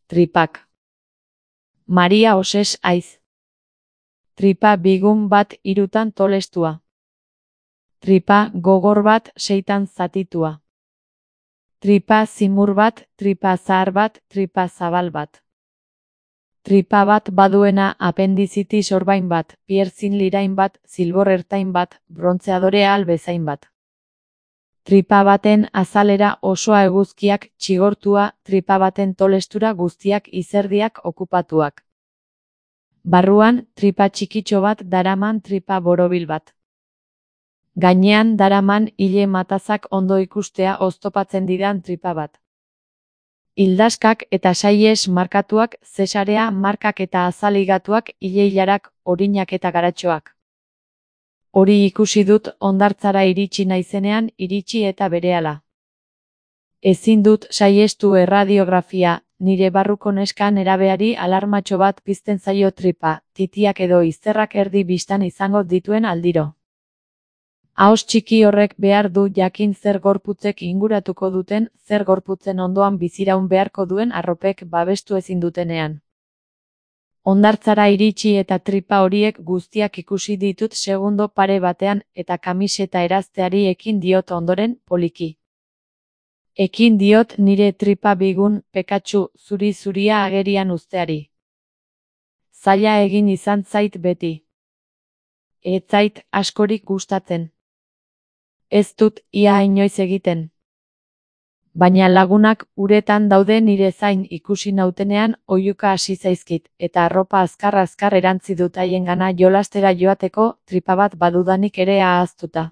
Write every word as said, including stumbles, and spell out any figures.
Tripak. Maria oses aiz. Tripa bigun bat hirutan tolestua. Tripa gogor bat seitan zatitua. Tripa zimur bat, tripa zahar bat, tripa zabal bat. Tripa bat baduena apendizitis orbain bat, pierzin lirain bat, zilbor ertain bat, brontzeadorea albezain bat. Tripa baten azalera osoa eguzkiak txigortua, tripa baten tolestura guztiak izerdiak okupatuak. Barruan, tripa txikitxo bat daraman tripa borobil bat. Gainean daraman hile matazak ondo ikustea oztopatzen didan tripa bat. Hildaskak eta saies markatuak, zesarea markak eta azaligatuak, hile-hilarak, orinak eta garatxoak. Hori ikusi dut hondartzara iritsi naizenean, iritsi eta berehala. Ezin dut saiestu erradiografia, nire barruko neska nerabeari alarmatxo bat pizten zaio tripa, titiak edo izterrak erdi bistan izango dituen aldiro. Ahoz txiki horrek behar du jakin zer gorputzek inguratuko duten, zer gorputzen ondoan biziraun beharko duen arropek babestu ezin dutenean. Hondartzara iritsi eta tripa horiek guztiak ikusi ditut segundo pare batean eta kamiseta erazteari ekin diot ondoren, poliki. Ekin diot nire tripa bigun, pekatsu, zuri-zuria agerian uzteari. Zaila egin izan zait beti. Ez zait askorik gustatzen. Ez dut ia inoiz egiten. Baina lagunak uretan daude nire zain ikusi nautenean oihuka hasi zaizkit, eta arropa azkar-azkar erantzi dut haiengana jolastera joateko, tripa bat badudanik ere ahaztuta.